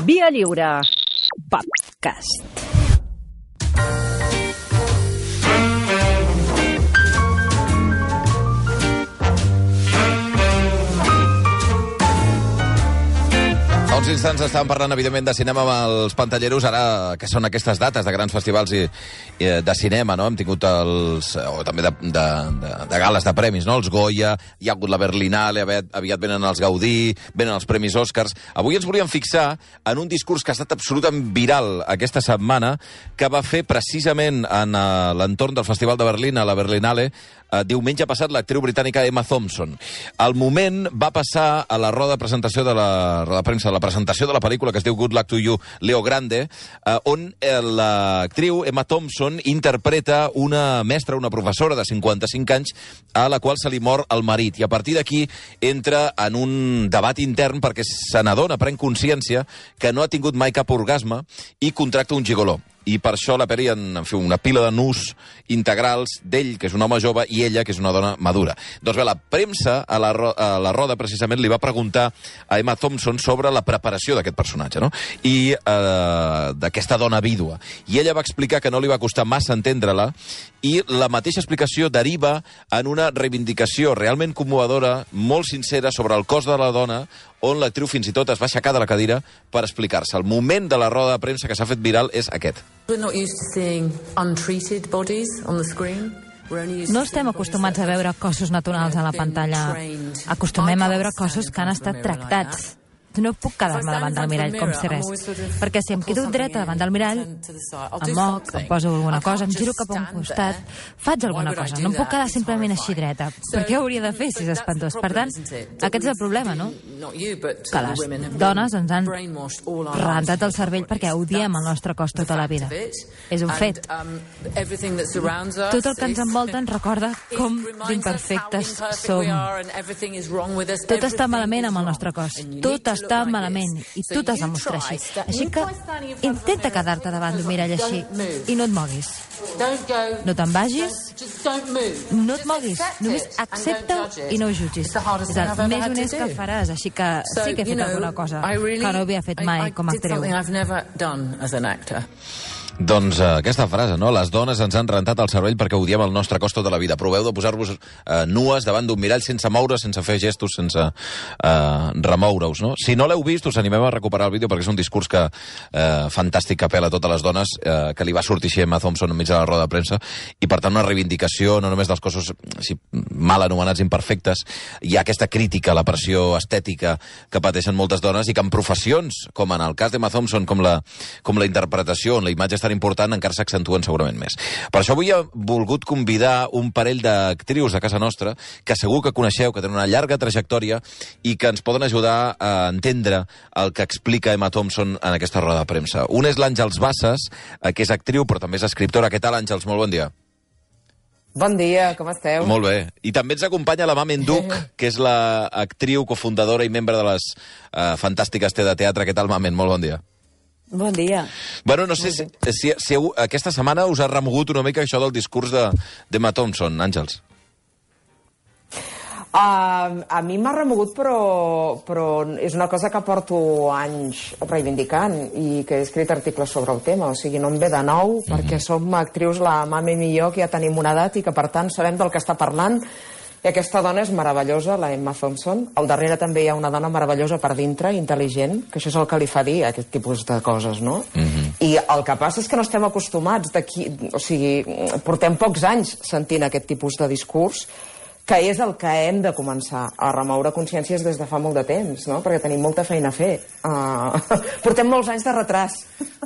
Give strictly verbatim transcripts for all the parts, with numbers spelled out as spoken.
Via Lliure Podcast. Fa uns instants estàvem parlant, evidentment, de cinema amb els pantalleros, ara que són aquestes dates de grans festivals i, i de cinema, no? Hem tingut els... o també de, de, de, de gales de premis, no? Els Goya, hi ha hagut la Berlinale, aviat, aviat venen els Gaudí, venen els Premis Oscars. Avui ens volíem fixar en un discurs que ha estat absolutament viral aquesta setmana, que va fer precisament en uh, l'entorn del Festival de Berlín, a la Berlinale, uh, diumenge passat, l'actriu britànica Emma Thompson. Al moment va passar a la roda de presentació de la, roda de premsa de la presentació de la pel·lícula que es diu Good Luck to You, Leo Grande, eh, on l'actriu Emma Thompson interpreta una mestra, una professora de cinquanta-cinc anys, a la qual se li mor el marit. I a partir d'aquí entra en un debat intern perquè se n'adona, pren consciència que no ha tingut mai cap orgasme i contracta un gigoló. I per això la pel·li en, en fi, una pila de nus integrals d'ell, que és un home jove, i ella, que és una dona madura. Doncs bé, la premsa a la, a la roda, precisament, li va preguntar a Emma Thompson sobre la preparació d'aquest personatge, no? I eh, d'aquesta dona vídua. I ella va explicar que no li va costar massa entendre-la, i la mateixa explicació deriva en una reivindicació realment commovedora, molt sincera, sobre el cos de la dona, on l'actriu fins i tot es va aixecar de la cadira per explicar-se. El moment de la roda de premsa que s'ha fet viral és aquest. No estem acostumats a veure cossos naturals a la pantalla. Acostumem a veure cossos que han estat tractats. No puc quedar-me davant del mirall com si res, perquè si em quedo dreta davant del mirall, em moc, em poso alguna cosa, em giro cap a un costat, faig alguna cosa. No em puc quedar simplement així dreta. Per què ho hauria de fer si és espantós? Per tant, aquest és el problema, no? Que les dones ens han rentat el cervell perquè odiem el nostre cos tota la vida. És un fet. Tot el que ens envolta ens recorda com d'imperfectes som. Tot està malament amb el nostre cos. Tot està està malament, i tu t'has de mostrar així. Així que intenta quedar-te davant d'un mirall així i no et moguis. No te'n vagis, no et moguis, només accepta-ho i no ho jutgis. És el més honest que faràs, així que sí que he fet alguna cosa que no havia fet mai com a actriu. Doncs uh, aquesta frase, no? Les dones ens han rentat el cervell perquè odiem el nostre cos tota la vida. Proveu de posar-vos uh, nues davant d'un mirall sense moure, sense fer gestos, sense uh, remoure-us, no? Si no l'heu vist, us animem a recuperar el vídeo perquè és un discurs que uh, fantàstic que apela a totes les dones, uh, que li va sortir així a Emma Thompson enmig de la roda de premsa, i per tant una reivindicació no només dels cossos si, mal anomenats imperfectes. Hi ha aquesta crítica a la pressió estètica que pateixen moltes dones i que en professions, com en el cas d'Emma Thompson, com la, com la interpretació, on la imatge tan important, encara s'accentuen segurament més. Per això avui he volgut convidar un parell d'actrius de casa nostra que segur que coneixeu, que tenen una llarga trajectòria i que ens poden ajudar a entendre el que explica Emma Thompson en aquesta roda de premsa. Un és l'Àngels Bassas, que és actriu però també és escriptora. Què tal, Àngels? Molt bon dia. Bon dia, com esteu? Molt bé. I també ens acompanya la Mamen Duch, que és l'actriu, cofundadora i membre de les uh, fantàstiques T de Teatre. Què tal, Mamen? Molt bon dia. Bon dia. Bueno, no sé si, si, si aquesta setmana us ha remogut una mica això del discurs d'Emma de, Thompson, Àngels. Uh, a mi m'ha remogut, però, però és una cosa que porto anys reivindicant i que he escrit articles sobre el tema. O sigui, no em ve de nou, mm-hmm. perquè som actrius, la Mami i jo, que ja tenim una edat i que, per tant, sabem del que està parlant. I aquesta dona és meravellosa, la Emma Thompson. Al darrere també hi ha una dona meravellosa per dintre, intel·ligent, que això és el que li fa dir a aquest tipus de coses, no? Mm-hmm. I el que passa és que no estem acostumats d'aquí... O sigui, portem pocs anys sentint aquest tipus de discurs, que és el que hem de començar a remoure consciències des de fa molt de temps, no? Perquè tenim molta feina a fer. Uh, portem molts anys de retras.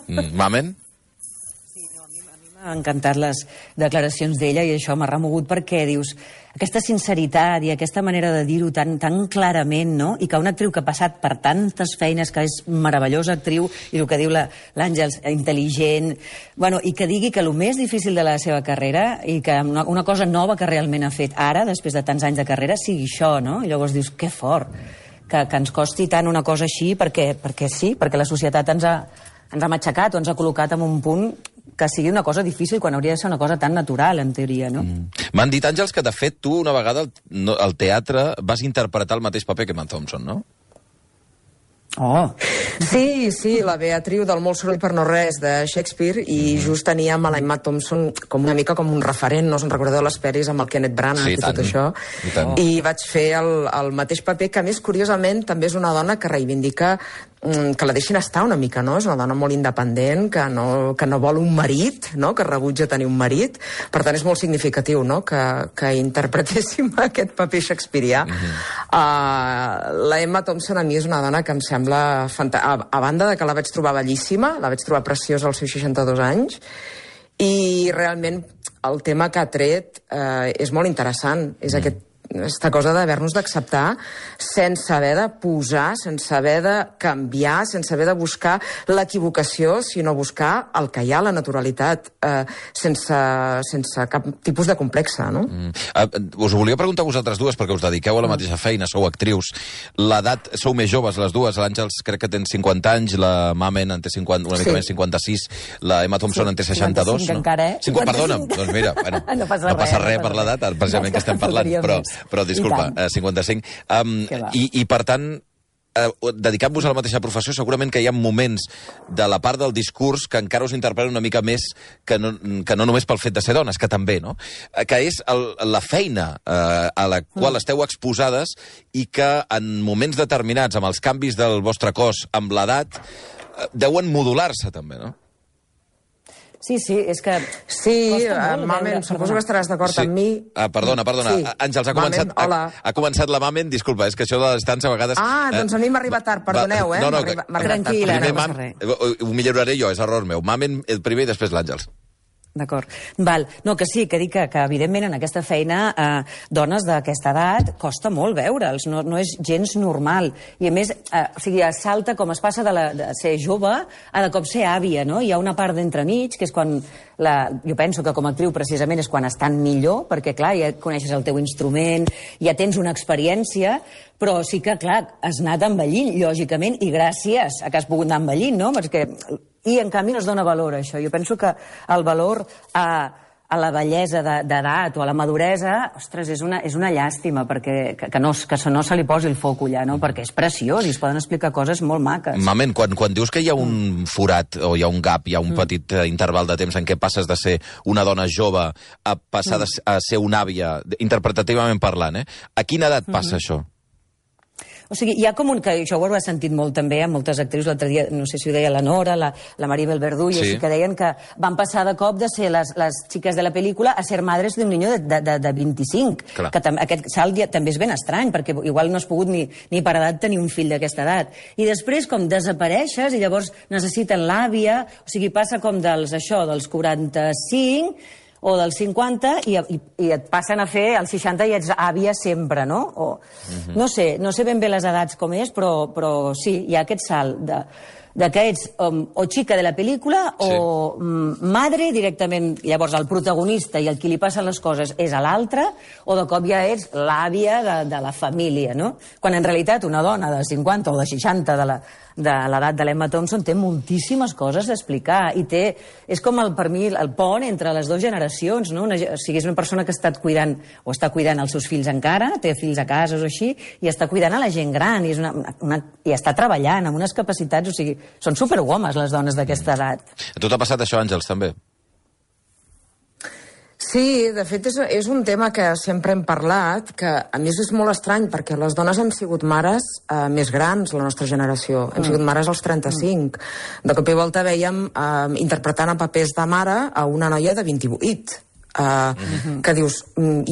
Mm, Mamen? M'ha encantat les declaracions d'ella i això m'ha remogut perquè dius aquesta sinceritat i aquesta manera de dir-ho tan, tan clarament, no? I que una actriu que ha passat per tantes feines, que és meravellosa actriu, i el que diu l'Àngels, intel·ligent, bueno, i que digui que el més difícil de la seva carrera i que una, una cosa nova que realment ha fet ara, després de tants anys de carrera, sigui això, no? I llavors dius, que fort, que, que ens costi tant una cosa així perquè, perquè sí, perquè la societat ens ha, ens ha matxacat o ens ha col·locat en un punt que sigui una cosa difícil quan hauria de ser una cosa tan natural, en teoria, no? Mm. M'han dit, Àngels, que de fet tu una vegada al, no, al teatre vas interpretar el mateix paper que Emma Thompson, no? Oh! Sí, sí, la Beatriu del Molt soroll per no res de Shakespeare, i just teníem a la Emma Thompson com una mica com un referent, no us en recordeu les pel·lis amb el Kenneth Branagh sí, i tot això. I, tant. I vaig fer el, el mateix paper, que a més, curiosament, també és una dona que reivindica que la deixin estar una mica, no? És una dona molt independent, que no, que no vol un marit, no? Que rebutja tenir un marit. Per tant, és molt significatiu, no? Que, que interpretéssim aquest paper shakespearià. Mm-hmm. uh, la Emma Thompson a mi és una dona que em sembla fantàstica. A, a banda de que la vaig trobar bellíssima, la vaig trobar preciosa als seus seixanta-dos anys, i realment el tema que ha tret uh, és molt interessant. És mm. aquest aquesta cosa d'haver-nos d'acceptar sense haver de posar, sense haver de canviar, sense haver de buscar l'equivocació, sinó buscar el que hi ha, la naturalitat, eh, sense, sense cap tipus de complexa, no? Mm. Uh, us ho volia preguntar a vosaltres dues, perquè us dediqueu a la mateixa feina, sou actrius. L'edat, sou més joves les dues, l'Àngels crec que tens cinquanta anys, la Mamen en té cinquanta, una mica sí. més cinquanta-sis, la Emma Thompson sí, en té seixanta-dos. cinquanta-cinc no? encara, eh? cinquanta, perdona, doncs mira, bueno, no passa no passa res, res no per l'edat, precisament que estem parlant, però... Però, disculpa, eh, cinquanta-cinc. Um, i, I, per tant, eh, dedicant-vos a la mateixa professió, segurament que hi ha moments de la part del discurs que encara us interpreten una mica més que no, que no només pel fet de ser dones, que també, no? Eh, que és el, la feina eh, a la qual mm. esteu exposades i que en moments determinats, amb els canvis del vostre cos, amb l'edat, eh, deuen modular-se també, no? Sí, sí, és que... Sí, Mamen, suposo que estaràs d'acord sí. amb mi. Ah, perdona, perdona. Sí. Àngels, ha començat, Mamen, ha, ha començat la Mamen, disculpa, és que això de la distància a vegades... Ah, doncs a mi m'arriba tard, perdoneu, eh? No, no, tranquil·la, no passa res. Ho milloraré jo, és error meu. Mamen el primer i després l'Àngels. D'acord. Val. No, que sí, que dic que, que evidentment en aquesta feina eh, dones d'aquesta edat costa molt veure'ls, no, no és gens normal. I a més, eh, o sigui, es salta com es passa de, la, de ser jove a de cop ser àvia, no? Hi ha una part d'entremig, que és quan, la, jo penso que com a actriu precisament és quan estan millor, perquè clar, ja coneixes el teu instrument, ja tens una experiència, però sí que, clar, has anat envellint, lògicament, i gràcies a que has pogut anar envellint, no? Perquè... I, en canvi, no es dona valor a això. Jo penso que el valor a, a la bellesa d'edat o a la maduresa, ostres, és una, és una llàstima, perquè que, que, no, que no se li posi el foc allà, no? Perquè és preciós i es poden explicar coses molt maques. Mamen, quan, quan dius que hi ha un forat o hi ha un gap, hi ha un mm. petit uh, interval de temps en què passes de ser una dona jove a passar mm. de, a ser una àvia, interpretativament parlant, eh? A quina edat passa mm. això? O sigui, hi ha com un... que això ho he sentit molt també amb moltes actrius, l'altre dia, no sé si ho deia la Nora, la, la Maribel Verdú, i sí. així que deien que van passar de cop de ser les, les xiques de la pel·lícula a ser madres d'un niño de, de, de, de vint-i-cinc. Clar. Que tam, aquest salt ja, també és ben estrany, perquè igual no has pogut ni, ni per edat tenir un fill d'aquesta edat. I després com desapareixes i llavors necessiten l'àvia, o sigui, passa com dels, això, dels quaranta-cinc... o dels cinquanta, i, i, i et passen a fer els seixanta i ets àvia sempre, no? O, uh-huh. No sé, no sé ben bé les edats com és, però, però sí, hi ha aquest salt de, de que ets um, o xica de la pel·lícula sí. o um, madre directament, llavors el protagonista i el qui li passen les coses és a l'altre, o de cop ja ets l'àvia de, de la família, no? Quan en realitat una dona de cinquanta o de seixanta de la de l'edat de l'Emma Thompson té moltíssimes coses a explicar i té, és com el, per mi el pont entre les dues generacions, no? Una, o sigui, és una persona que ha estat cuidant o està cuidant els seus fills encara, té fills a casa o així, i està cuidant a la gent gran i, és una, una, i està treballant amb unes capacitats, o sigui, són superwomes les dones d'aquesta edat. A tu t'ha passat això, Àngels, també? Sí, de fet és, és un tema que sempre hem parlat, que a més és molt estrany perquè les dones hem sigut mares eh, més grans, la nostra generació, hem mm. sigut mares als trenta-cinc. De cop i volta veiem eh, interpretant a papers de mare a una noia de vint-i-vuit, eh, mm-hmm. que dius,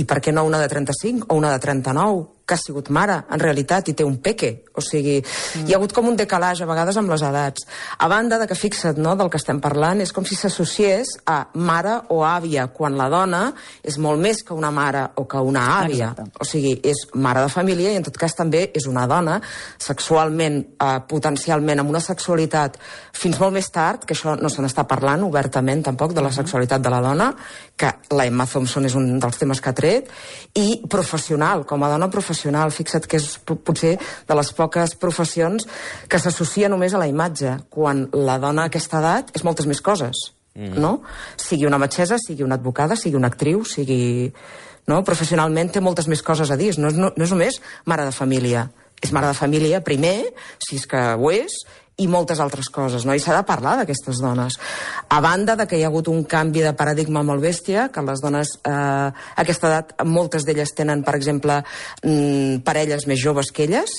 i per què no una de trenta-cinc o una de trenta-nou? Que ha sigut mare, en realitat, i té un peque. O sigui, mm. hi ha hagut com un decalatge, a vegades, amb les edats. A banda de que, fixa't, no?, del que estem parlant, és com si s'associés a mare o àvia, quan la dona és molt més que una mare o que una àvia. Exacte. O sigui, és mare de família i, en tot cas, també és una dona sexualment, eh, potencialment, amb una sexualitat fins molt més tard, que això no se n'està parlant obertament, tampoc, de la sexualitat de la dona, que la Emma Thompson és un dels temes que ha tret, i professional, com a dona professional. Fixa't que és potser de les poques professions que s'associa només a la imatge, quan la dona a aquesta edat és moltes més coses, mm. no? Sigui una metgessa, sigui una advocada, sigui una actriu, sigui... No? Professionalment té moltes més coses a dir, no és, no, no és només mare de família, és mare de família, primer, si és que ho és, i moltes altres coses, no? I s'ha de parlar d'aquestes dones. A banda de que hi ha hagut un canvi de paradigma molt bèstia, que les dones eh, a aquesta edat, moltes d'elles tenen, per exemple, mm, parelles més joves que elles,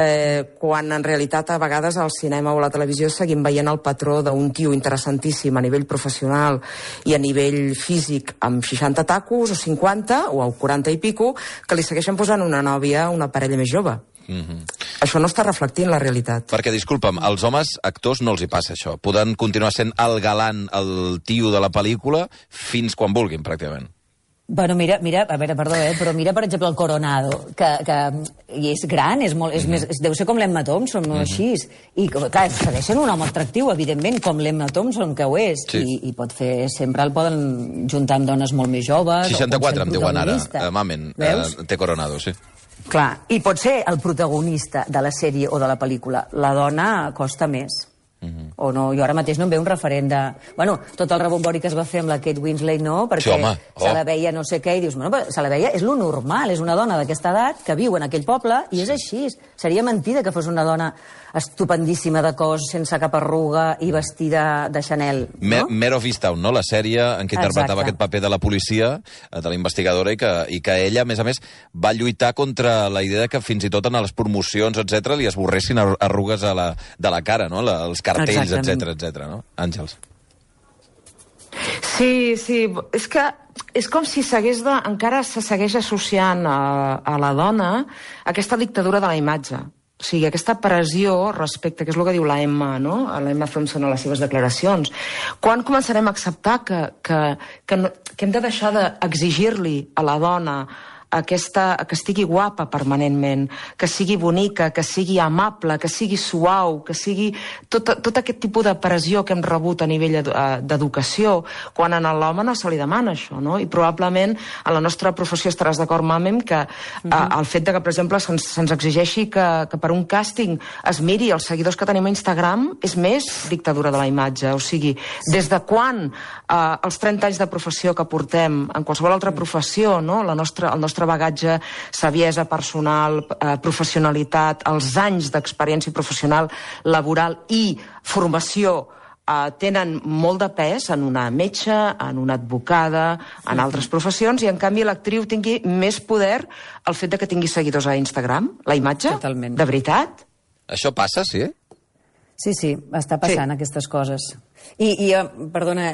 eh, quan en realitat a vegades al cinema o a la televisió seguim veient el patró d'un tio interessantíssim a nivell professional i a nivell físic amb seixanta tacos o cinquanta o quaranta i pico, que li segueixen posant una nòvia a una parella més jove. Mm-hmm. Això no està reflectint la realitat. Perquè, disculpa'm, als homes actors no els hi passa això. Poden continuar sent el galant, el tio de la pel·lícula, fins quan vulguin, pràcticament. Bueno, mira, mira, a veure, perdó, eh, però mira, per exemple, el Coronado, que, que i és gran, és molt, és mm-hmm. més, deu ser com l'Emma Thompson, no mm-hmm. així. I, clar, segueix sent un home atractiu, evidentment, com l'Emma Thompson, que ho és, sí. i, i pot fer, sempre el poden juntar amb dones molt més joves. seixanta-quatre em diuen ara, uh, Mamen, uh, té Coronado, sí. Clar, i pot ser el protagonista de la sèrie o de la pel·lícula. La dona costa més. Mm-hmm. O no, jo ara mateix no em ve un referent de... Bueno, tot el rebombori que es va fer amb la Kate Winslet, no? Perquè sí, home, oh. se la veia no sé què, i dius, bueno, però se la veia, és lo normal, és una dona d'aquesta edat que viu en aquell poble, i és així. Seria mentida que fos una dona estupendíssima de cos, sense cap arruga i vestida de Chanel, no? Mare of Easttown, no? La sèrie en què interpretava aquest paper de la policia, de la investigadora, i que, i que ella, a més a més, va lluitar contra la idea que fins i tot en les promocions, etcètera, li esborressin arrugues a la, de la cara, no? La, els cartells, etcètera, etcètera, no? Àngels. Sí, sí, és que és com si s'hagués de, encara se segueix associant a, a la dona aquesta dictadura de la imatge. O sigui, aquesta pressió respecte, que és el que diu la Emma, no? La Emma Thompson a les seves declaracions. Quan començarem a acceptar que, que, que, no, que hem de deixar d'exigir-li a la dona aquesta, que estigui guapa permanentment, que sigui bonica, que sigui amable, que sigui suau, que sigui tot, tot aquest tipus de pressió que hem rebut a nivell d'educació, quan a l'home no se li demana això, no? I probablement a la nostra professió estaràs d'acord, Mamem, que uh-huh. a, el fet de que, per exemple, se'ns se exigeixi que, que per un càsting es miri els seguidors que tenim a Instagram és més dictadura de la imatge. O sigui, des de quan eh, els trenta anys de professió que portem en qualsevol altra professió, no? La nostra, el nostre bagatge, saviesa personal, eh, professionalitat, els anys d'experiència professional, laboral i formació eh, tenen molt de pes en una metge, en una advocada, en altres professions, i en canvi l'actriu tingui més poder el fet de que tingui seguidors a Instagram, la imatge? Totalment. De veritat? Això passa, sí? Sí, sí, està passant sí. aquestes coses. I, i perdona,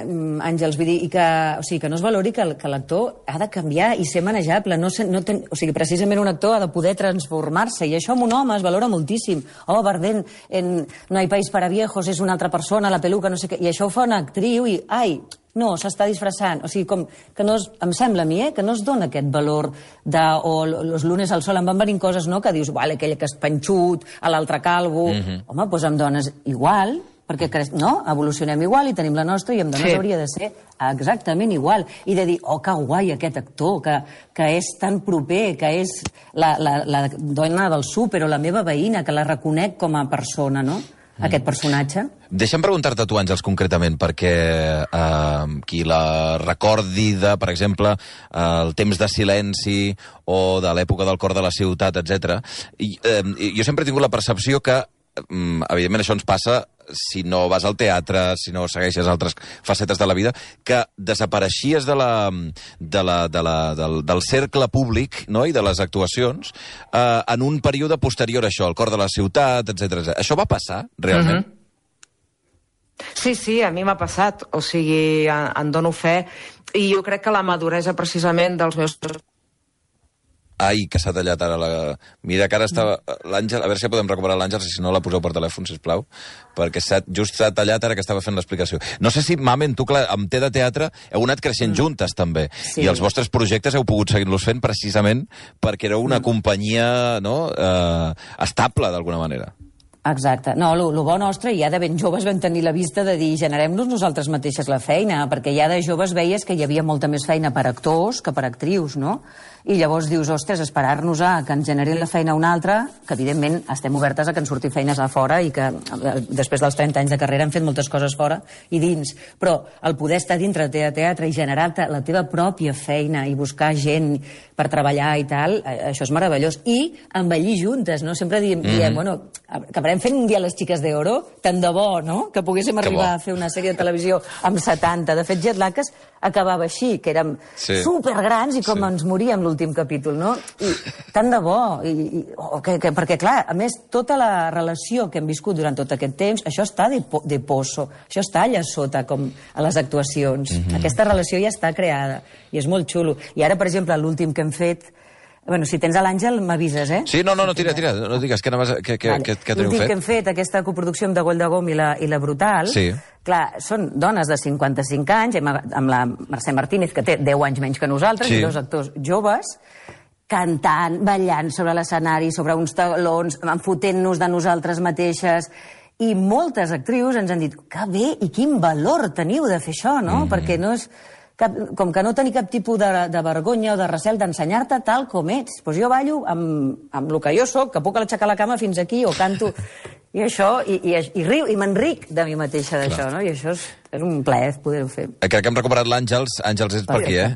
Àngels, vull dir, i que, o sigui, que no es valori que, que l'actor ha de canviar i ser manejable. No, no ten, o sigui, precisament un actor ha de poder transformar-se, i això amb un home es valora moltíssim. Oh, Bardem, en No hay país para viejos, és una altra persona, la peluca, no sé què. I això ho fa una actriu i, ai, no, s'està disfressant. O sigui, com que no es, em sembla a mi, eh, que no es dona aquest valor de, o los lunes al sol. Em van venir coses, no?, que dius, vale, aquell que és panxut, a l'altre calvo. Mm-hmm. Home, doncs amb dones igual, perquè no? Evolucionem igual i tenim la nostra, i amb dones sí. hauria de ser exactament igual. I de dir, oh, que guai aquest actor, que, que és tan proper, que és la, la, la dona del súper o la meva veïna, que la reconec com a persona, no?, mm. aquest personatge. Deixa'm preguntar-te tu, Àngels, concretament, perquè eh, qui la recordi de, per exemple, eh, el temps de silenci o de l'època del cor de la ciutat, etcètera. I, eh, jo sempre he tingut la percepció que, eh, evidentment, això ens passa si no vas al teatre, si no segueixes altres facetes de la vida, que desapareixies de la, de la, de la, del, del cercle públic, no?, i de les actuacions eh, en un període posterior a això, el cor de la ciutat, etcètera. Això va passar, realment? Uh-huh. Sí, sí, a mi m'ha passat. O sigui, en, en dono fe. I jo crec que la maduresa, precisament, dels meus... Ai, que s'ha tallat ara la... Mira que ara estava... L'Àngel, a veure si podem recuperar l'Àngel, si no la poseu per telèfon, sisplau, perquè just s'ha tallat ara que estava fent l'explicació. No sé si, Mamen, tu, clar, amb T de Teatre heu anat creixent mm. juntes, també, sí. I els vostres projectes heu pogut seguir-los fent precisament perquè éreu una mm. companyia, no?, eh, estable, d'alguna manera. Exacte. No, el bo nostre, ja de ben joves vam tenir la vista de dir generem-nos nosaltres mateixes la feina, perquè ja de joves veies que hi havia molta més feina per actors que per actrius, no? I llavors dius, ostres, esperar-nos a que ens generin la feina una altra, que evidentment estem obertes a que ens surti feines a fora i que després dels trenta anys de carrera hem fet moltes coses fora i dins, però el poder estar dintre de teatre i generar la teva pròpia feina i buscar gent per treballar i tal, això és meravellós. I envellir juntes, no? Sempre diem, mm. diem bueno, acabarem fent un dia les xiques d'Oro, tant de bo, no? Que poguéssim que arribar bo. a fer una sèrie de televisió amb setanta. De fet, Jet Lag acabava així, que érem sí. supergrans i com sí. ens moríem l'últim capítol, no? I tant de bo. I, i, oh, que, que, perquè, clar, a més, tota la relació que hem viscut durant tot aquest temps, això està de, po de poso, això està allà sota, com a les actuacions. Mm-hmm. Aquesta relació ja està creada i és molt xulo. I ara, per exemple, l'últim que hem fet... Bueno, si tens a l'Àngel, m'avises, eh? Sí, no, no, no, tira, tira, no digues, què, què, què, vale. què, què teniu fet? L'últim que hem fet, aquesta coproducció amb De Gol de Gom i la, i la Brutal, sí. clar, són dones de cinquanta-cinc anys, amb la Mercè Martínez, que té deu anys menys que nosaltres, sí. i dos actors joves, cantant, ballant sobre l'escenari, sobre uns talons, enfotent-nos de nosaltres mateixes, i moltes actrius ens han dit, que bé i quin valor teniu de fer això, no? Mm-hmm. Perquè no és... Cap, com que no tenir cap tipus de, de vergonya o de recel d'ensenyar-te tal com ets. Pues jo ballo amb, amb el que jo soc, que puc aixecar la cama fins aquí, o canto, i això, i, i, i riu, i m'enric de mi mateixa d'això, no? I això és, és un plaer poder-ho fer. Crec que hem recuperat l'Àngels. Àngels, és per aquí, eh?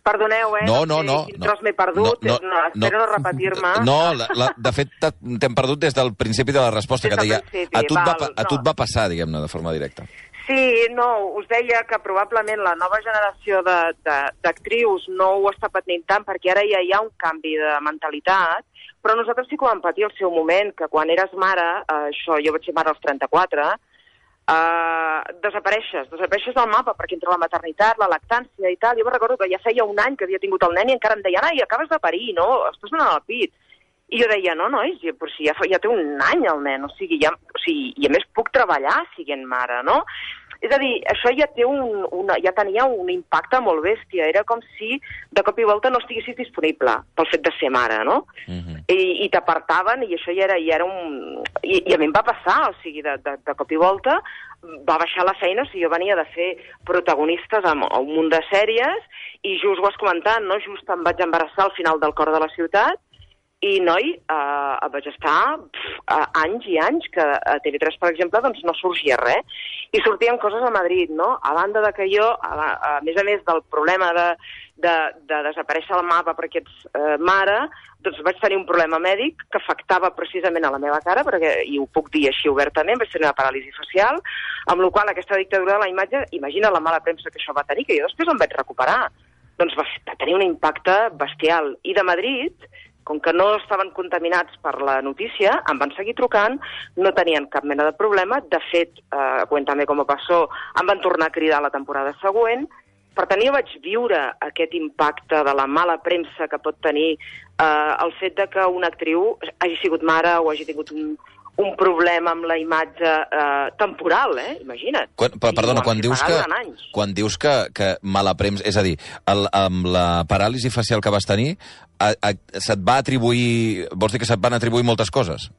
Perdoneu, eh? No, no, no. no. Quin m'he perdut, no, no, no, espero no, no repetir-me. No, la, la, de fet, t'hem perdut des del principi de la resposta, des que deia, a tu, val, va, a tu et va passar, diguem-ne, de forma directa. Sí, no, us deia que probablement la nova generació d'actrius no ho està patint tant perquè ara ja hi ha un canvi de mentalitat, però nosaltres sí que ho vam patir al seu moment, que quan eres mare, eh, això, jo vaig ser mare als trenta-quatre, eh, desapareixes, desapareixes del mapa perquè entre la maternitat, la lactància i tal, jo me recordo que ja feia un any que havia tingut el nen i encara em deien, ai, acabes de parir, no? Estàs donant el pit. I jo deia, no, nois, però si ja, ja té un any el nen, o sigui, ja, o sigui, i a més puc treballar siguent mare, no? És a dir, això ja, té un, una, ja tenia un impacte molt bèstia, era com si de cop i volta no estiguessis disponible pel fet de ser mare, no? Mm-hmm. I, i t'apartaven i això ja era, ja era un... I, I a mi em va passar, o sigui, de, de, de cop i volta va baixar la feina, o sigui, jo venia de fer protagonistes a, a un munt de sèries i just ho has comentat, no? Just em vaig embarassar al final del Cor de la Ciutat i, noi, eh, vaig estar pf, anys i anys que a T V tres, per exemple, doncs no sorgia res. I sortien coses a Madrid, no? A banda de que jo, a, a més a més del problema de, de, de desaparèixer al mapa perquè ets eh, mare, doncs vaig tenir un problema mèdic que afectava precisament a la meva cara, perquè, i ho puc dir així obertament, vaig tenir una paràlisi facial, amb la qual cosa aquesta dictadura de la imatge, imagina la mala premsa que això va tenir, que jo després em vaig recuperar. Doncs va, va tenir un impacte bestial. I de Madrid, com que no estaven contaminats per la notícia, em van seguir trucant, no tenien cap mena de problema. De fet, eh, Cuéntame cómo pasó, em van tornar a cridar la temporada següent. Per tant, jo vaig viure aquest impacte de la mala premsa que pot tenir eh, el fet de que una actriu hagi sigut mare o hagi tingut un, un problema amb la imatge eh, temporal, eh? Imagina't. Quan, però, perdona, quan dius, que, quan dius que, que mala premsa... És a dir, el, amb la paràlisi facial que vas tenir, a, a, se't va atribuir... Vols dir que se't van atribuir moltes coses?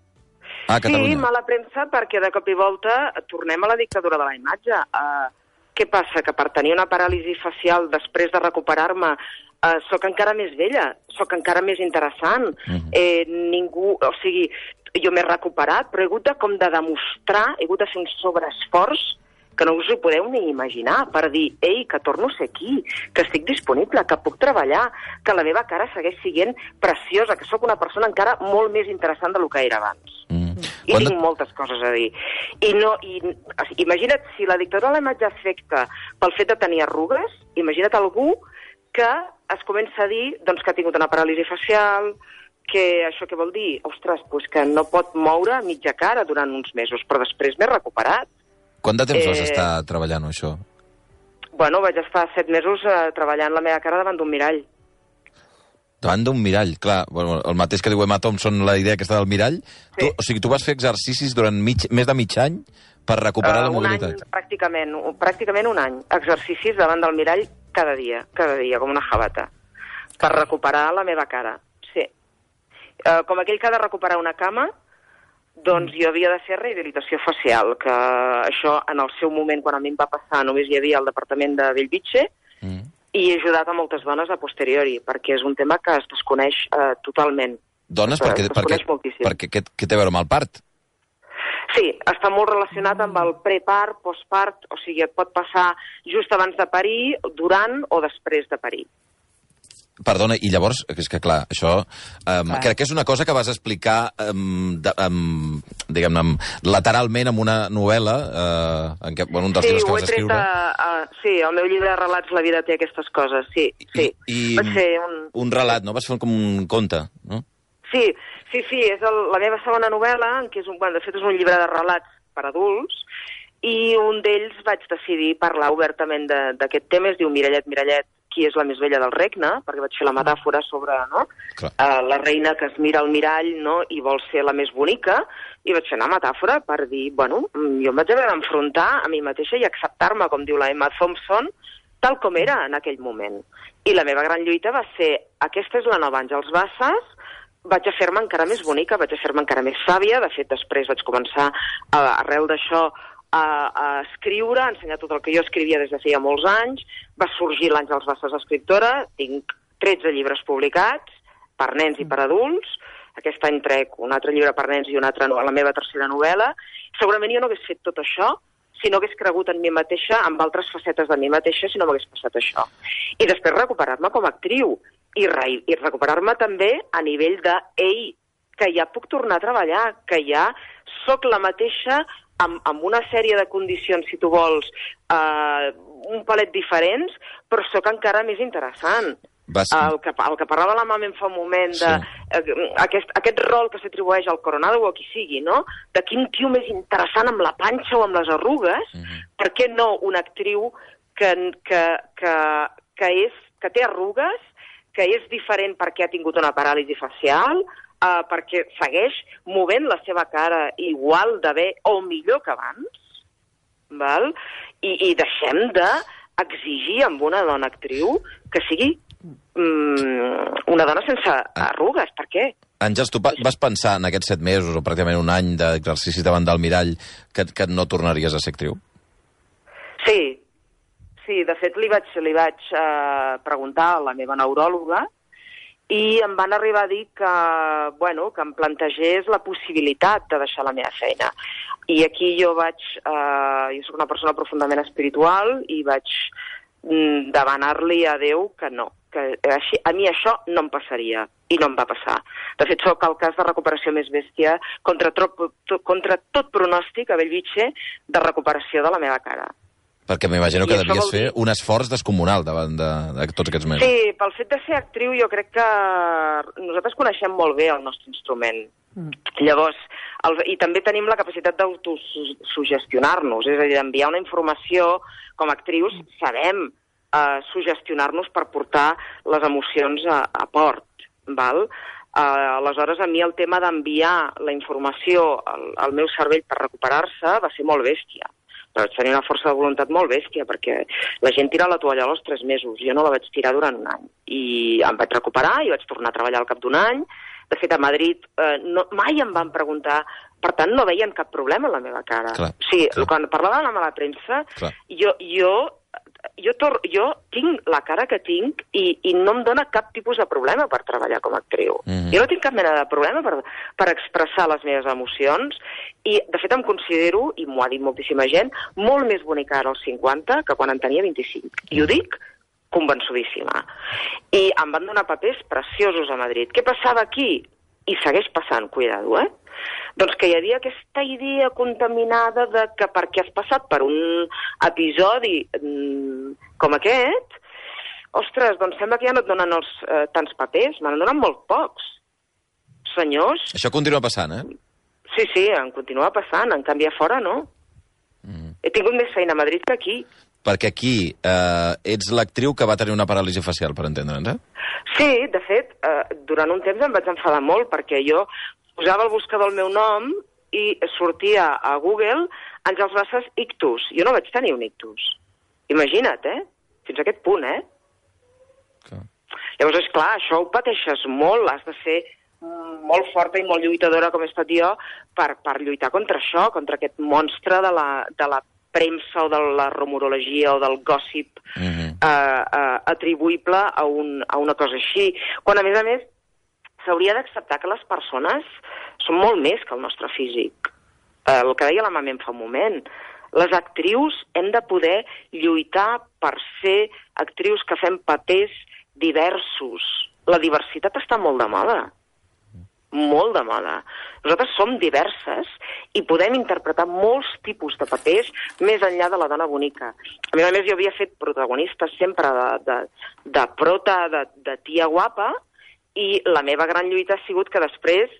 Ah, sí, mala premsa, perquè de cop i volta tornem a la dictadura de la imatge. Uh, què passa? Que per tenir una paràlisi facial després de recuperar-me uh, sóc encara més vella, sóc encara més interessant. Uh-huh. eh, ningú... O sigui, jo m'he recuperat, però he hagut de, com de demostrar, he hagut de fer un sobreesforç que no us ho podeu ni imaginar, per dir, ei, que torno a ser aquí, que estic disponible, que puc treballar, que la meva cara segueix sent preciosa, que sóc una persona encara molt més interessant del que era abans. Mm. I Quan tinc de... moltes coses a dir. I no, i, imagina't, si la dictadura de la imatge afecta pel fet de tenir arrugues, imagina't algú que es comença a dir doncs, que ha tingut una paràlisi facial, que això què vol dir? Ostres, doncs que no pot moure mitja cara durant uns mesos, però després m'he recuperat. Quant de temps eh... vas estar treballant això? Bueno, vaig estar set mesos eh, treballant la meva cara davant d'un mirall. Davant d'un mirall, clar. Bueno, el mateix que diu Emma Thompson, la idea aquesta del mirall. Sí. Tu, o sigui, tu vas fer exercicis durant mig, més de mig any per recuperar uh, la mobilitat? Un any, pràcticament, pràcticament un any. Exercicis davant del mirall cada dia, cada dia, com una jabata, per recuperar la meva cara. Sí. Uh, com aquell que ha de recuperar una cama, doncs jo havia de fer rehabilitació facial, que això en el seu moment, quan a mi em va passar, només hi havia el departament de Bellvitge, mm. i he ajudat a moltes dones a posteriori, perquè és un tema que es desconeix eh, totalment. Dones? Es, perquè, es perquè, perquè què, què té a veure amb el part? Sí, està molt relacionat amb el prepart, postpart, o sigui, et pot passar just abans de parir, durant o després de parir. Perdona, i llavors, és que clar, això um, crec que és una cosa que vas explicar um, de, um, diguem-ne, lateralment en una novel·la, uh, en què, bueno, un dels sí, llibres que vas escriure. A, a, sí, el meu llibre de relats La vida té aquestes coses, sí. sí. I, i va ser un... un relat, no? Vas fer com un conte, no? Sí, sí, sí, és el, la meva segona novel·la, que és un, bueno, de fet és un llibre de relats per adults, i un d'ells vaig decidir parlar obertament d'aquest tema, es diu Mirallet, Mirallet, qui és la més vella del regne, perquè vaig fer la metàfora sobre no? uh, la reina que es mira al mirall no? i vol ser la més bonica, i vaig fer una metàfora per dir, bueno, jo em vaig haver d'enfrontar a mi mateixa i acceptar-me, com diu la Emma Thompson, tal com era en aquell moment. I la meva gran lluita va ser, aquesta és la nova Àngels Bassas, vaig a fer-me encara més bonica, vaig a fer-me encara més sàvia, de fet després vaig començar, a, arrel d'això, A, a escriure, a ensenyar tot el que jo escrivia des de feia molts anys, va sorgir l'Àngels Bassas escriptora, tinc tretze llibres publicats, per nens i per adults, aquest any trec un altre llibre per nens i un altre, la meva tercera novel·la. Segurament jo no hagués fet tot això si no hagués cregut en mi mateixa, amb altres facetes de mi mateixa, si no m'hagués passat això. I després recuperar-me com a actriu, i, re, i recuperar-me també a nivell de, ei, que ja puc tornar a treballar, que ja sóc la mateixa amb, amb una sèrie de condicions, si tu vols, eh, un palet diferents, però sóc encara més interessant. Vas... El, que, el que parlava la mama en fa un moment, de, sí. eh, aquest, aquest rol que s'atribueix al Coronado o a qui sigui, no? De quin tio més interessant amb la panxa o amb les arrugues, uh-huh. per què no una actriu que, que, que, que, és, que té arrugues, que és diferent perquè ha tingut una paràlisi facial, Uh, perquè segueix movent la seva cara igual de bé o millor que abans, val? I, i deixem d'exigir amb una dona actriu que sigui mm, una dona sense arrugues. Per què? Àngels, tu vas pensar en aquests set mesos o pràcticament un any d'exercici davant del mirall que, que no tornaries a ser actriu? Sí, sí, de fet li vaig, li vaig uh, preguntar a la meva neuròloga i em van arribar a dir que, bueno, que em plantegés la possibilitat de deixar la meva feina. I aquí jo vaig... Eh, jo soc una persona profundament espiritual i vaig mm, demanar-li a Déu que no, que així, a mi això no em passaria, i no em va passar. De fet, sóc el cas de recuperació més bèstia contra, trop, to, contra tot pronòstic a Bellvitge de recuperació de la meva cara. Perquè m'imagino que devies fer un esforç descomunal davant de, de tots aquests mesos. Sí, pel fet de ser actriu jo crec que nosaltres coneixem molt bé el nostre instrument. Mm. Llavors, el, i també tenim la capacitat d'autosugestionar-nos, és a dir, d'enviar una informació com a actrius, sabem uh, sugestionar-nos per portar les emocions a, a port, val? Uh, aleshores, a mi el tema d'enviar la informació al, al meu cervell per recuperar-se va ser molt bèstia. Però vaig tenir una força de voluntat molt bèstia, perquè la gent tira la toalla als tres mesos, jo no la vaig tirar durant un any. I em vaig recuperar i vaig tornar a treballar al cap d'un any. De fet, a Madrid eh, no, mai em van preguntar, per tant no veien cap problema en la meva cara. Clar, o sigui, clar. Quan parlava de la mala premsa, clar. jo... jo Jo, tor jo tinc la cara que tinc i, i no em dóna cap tipus de problema per treballar com a actriu. Mm-hmm. Jo no tinc cap mena de problema per, per expressar les meves emocions i, de fet, em considero, i m'ho ha dit moltíssima gent, molt més bonica ara als cinquanta que quan en tenia vint-i-cinc. I ho dic convençudíssima. I em van donar papers preciosos a Madrid. Què passava aquí? I segueix passant, cuidado, eh? Doncs que hi havia aquesta idea contaminada de que perquè has passat per un episodi mm, com aquest, ostres, doncs sembla que ja no et donen els, eh, tants papers, me n'han donat molt pocs. Senyors... Això continua passant, eh? Sí, sí, em continua passant, en canvi a fora no. Mm. He tingut més feina a Madrid que aquí. Perquè aquí eh, ets l'actriu que va tenir una paràlisi facial, per entendre'ns, eh? Sí, de fet, eh, durant un temps em vaig enfadar molt, perquè jo posava el buscador el meu nom i sortia a Google Àngels Bassas ictus. Jo no vaig tenir un ictus. Imagina't, eh? Fins a aquest punt, eh? Okay. Llavors, és clar, això ho pateixes molt, has de ser molt forta i molt lluitadora com he estat jo per, per lluitar contra això, contra aquest monstre de la, de la premsa o de la rumorologia o del gossip uh-huh. eh, eh, atribuïble a, un, a una cosa així. Quan, a més a més, s'hauria d'acceptar que les persones són molt més que el nostre físic. Eh, el que deia la Mamen fa un moment. Les actrius hem de poder lluitar per ser actrius que fem papers diversos. La diversitat està molt de moda. Molt de moda. Nosaltres som diverses i podem interpretar molts tipus de papers més enllà de la dona bonica. A més a més, jo havia fet protagonistes sempre de, de, de prota, de, de tia guapa, i la meva gran lluita ha sigut que després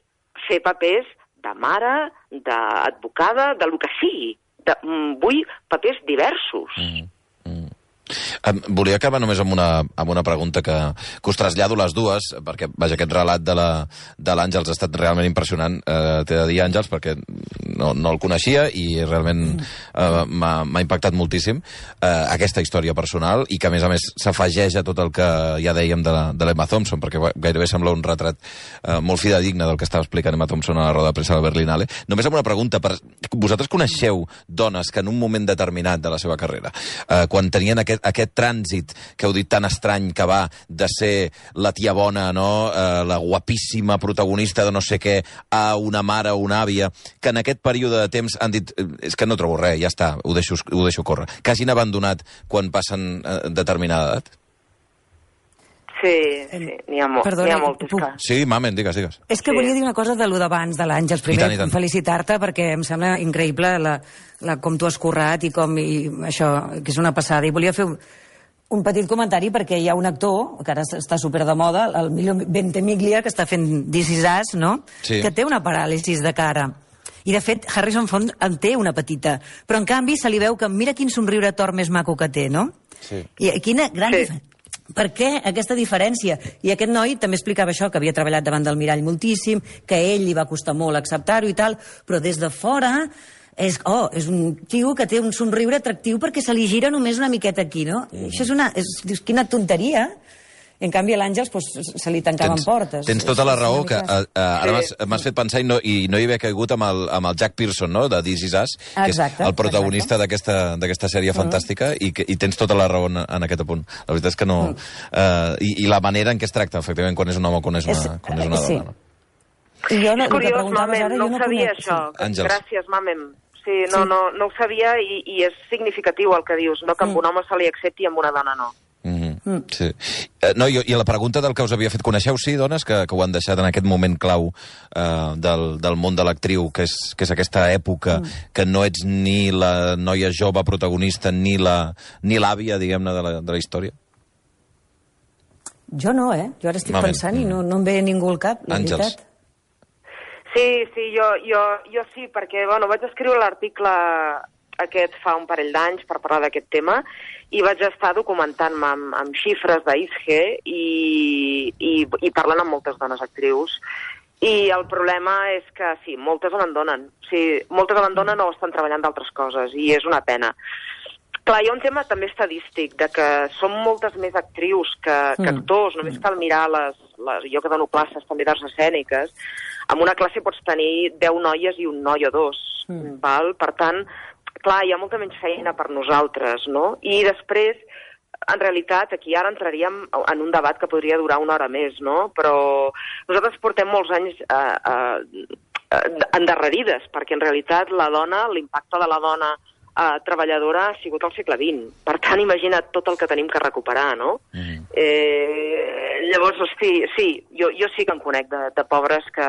fer papers de mare, d'advocada, de lo que sigui. De, mm, vull papers diversos. Mm. Um, volia acabar només amb una, amb una pregunta que, que us trasllado les dues, perquè, vaja, aquest relat de l'Àngels ha estat realment impressionant. Uh, T'he de dir, Àngels, perquè no, no el coneixia i realment uh, m'ha impactat moltíssim uh, aquesta història personal i que, a més a més, s'afegeix a tot el que ja dèiem de l'Emma Thompson, perquè gairebé sembla un retrat uh, molt fidedigne del que estava explicant Emma Thompson a la roda de premsa de Berlinale. Només amb una pregunta. Per... Vosaltres coneixeu dones que en un moment determinat de la seva carrera, uh, quan tenien aquest, aquest trànsit que heu dit tan estrany que va de ser la tia bona, no? eh, la guapíssima protagonista de no sé què, a una mare o una àvia, que en aquest període de temps han dit és que no trobo res, ja està, ho deixo, ho deixo córrer. Que hagin abandonat quan passen eh, determinada edat? Sí, sí, n'hi ha, mo Perdona, ha moltes. puc... Sí, Mamen, digues, digues. És que sí. volia dir una cosa de lo d'abans, de l'Àngels. Primer, I tant, i tant. felicitar-te, perquè em sembla increïble la, la, com tu has currat i com i això, que és una passada. I volia fer un, un petit comentari perquè hi ha un actor, que ara està super de moda, el Ventimiglia, que està fent This Is Us, no? Sí. Que té una paràlisis de cara. I, de fet, Harrison Ford en té una petita. Però, en canvi, se li veu que mira quin somriure tort més maco que té, no? Sí. I quina gran Sí. diferència. Per què aquesta diferència? I aquest noi també explicava això, que havia treballat davant del mirall moltíssim, que a ell li va costar molt acceptar-ho i tal, però des de fora és, oh, és un tio que té un somriure atractiu perquè se li gira només una miqueta aquí, no? Mm. Això és una... És, dius, quina tonteria. En canvi, a l'Àngels pues, se li tancaven tens, portes. Tens tota la raó, que mica... uh, uh, ara Sí. m'has fet pensar i no, i no hi havia caigut amb el, amb el Jack Pearson, no?, de This Is Us, que Exacte, és el protagonista d'aquesta sèrie Mm. fantàstica, i, que, i tens tota la raó en, en aquest punt. La veritat és que no... Mm. Uh, i, I la manera en què es tracta, efectivament, quan és un home o quan és una, És, quan és una sí. dona. No? I jo no, És curiós, preguntaves Mamen, ara, no jo ho no sabia, conec. això. Sí. Àngels. Gràcies, Mamen. Sí, no, Sí. no, no ho sabia i, i és significatiu el que dius, no? Que amb Mm. un home se li accepti i amb una dona no. Mm -hmm. Mm. Sí. Eh, no, i, I la pregunta del que us havia fet, coneixeu, sí, dones, que, que ho han deixat en aquest moment clau eh, del, del món de l'actriu, que, és, que és aquesta època mm. que no ets ni la noia jove protagonista ni la ni l'àvia, diguem-ne, de, la, de la història? Jo no, eh? Jo ara estic Mamen. pensant i no, no em ve ningú al cap, la Àngels. veritat. Sí, sí, jo, jo, jo sí, perquè bueno, vaig escriure l'article aquest fa un parell d'anys per parlar d'aquest tema i vaig estar documentant-me amb, amb xifres d'I S G i, i, i parlant amb moltes dones actrius. I el problema és que, sí, moltes abandonen. O sigui, moltes abandonen o estan treballant d'altres coses, i és una pena. Clar, hi ha un tema també estadístic, de que som moltes més actrius que, que actors. Només cal mirar les, les... Jo que dono classes també d'arts escèniques. En una classe pots tenir deu noies i un noi o dos, mm. val? Per tant, clar, hi ha molta menys feina per nosaltres, no? I després, en realitat, aquí ara entraríem en un debat que podria durar una hora més, no? Però nosaltres portem molts anys eh, eh, endarrerides, perquè en realitat la dona, l'impacte de la dona eh, treballadora ha sigut al segle vint. Per tant, imagina't tot el que tenim que recuperar, no? Mm. Eh, llavors, hosti, sí, jo, jo sí que en conec de, de pobres que,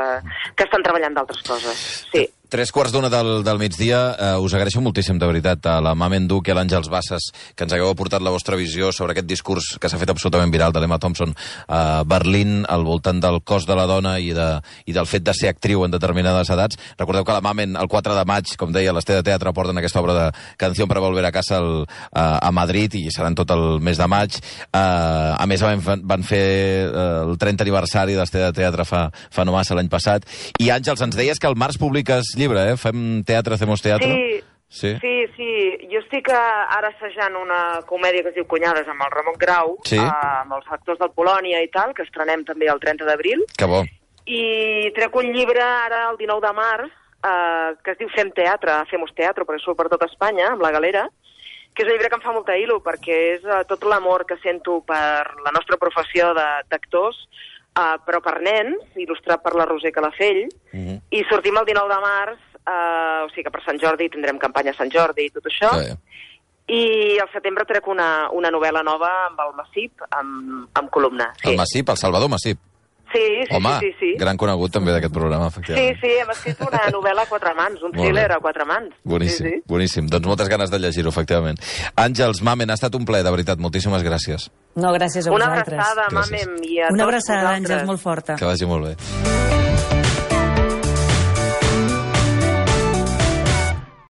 que estan treballant d'altres coses, sí. Tres quarts d'una del, del migdia. Uh, us agraeixo moltíssim, de veritat, a la Mamen Duch i a l'Àngels Bassas, que ens hagueu aportat la vostra visió sobre aquest discurs que s'ha fet absolutament viral de l'Emma Thompson a Berlín, al voltant del cos de la dona i, de, i del fet de ser actriu en determinades edats. Recordeu que la Mamen, el quatre de maig, com deia, l'Este de Teatre porten aquesta obra de Canción para volver a casa al, a, a Madrid, i seran tot el mes de maig. Uh, a més, van, van fer uh, el trenta aniversari de l'Este de Teatre fa, fa no massa l'any passat. I, Àngels, ens deies que al març publiques llibre, eh? Fem teatre, hacemos teatre. Sí, sí, sí, sí. Jo estic ara assajant una comèdia que es diu Cunyades amb el Ramon Grau, sí. eh, amb els actors del Polònia i tal, que estrenem també el trenta d'abril. Que bo. I trec un llibre ara el dinou de març, eh, que es diu Fem teatre, Femos teatro, perquè surt per tot Espanya, amb la Galera, que és un llibre que em fa molta il·lu, perquè és uh, tot l'amor que sento per la nostra professió d'actors, uh, però per nens, il·lustrat per la Roser Calafell, mm-hmm. i sortim el dinou de març, uh, o sigui que per Sant Jordi tindrem campanya a Sant Jordi i tot això, sí. I al setembre trec una, una novel·la nova amb el Massip, amb, amb columna. Sí. El Massip, el Salvador Massip. Sí, sí, Home, sí, sí, sí. gran conegut també d'aquest programa, efectivament. Sí, sí, hem escrit una novel·la a quatre mans, un thriller a quatre mans. Boníssim, sí, sí. boníssim. Doncs moltes ganes de llegir-ho, efectivament. Àngels, Mamen, ha estat un plaer, de veritat. Moltíssimes gràcies. No, gràcies a una vosaltres. Una abraçada, Mamen, i a Una tots abraçada, vosaltres. Àngels, molt forta. Que vagi molt bé.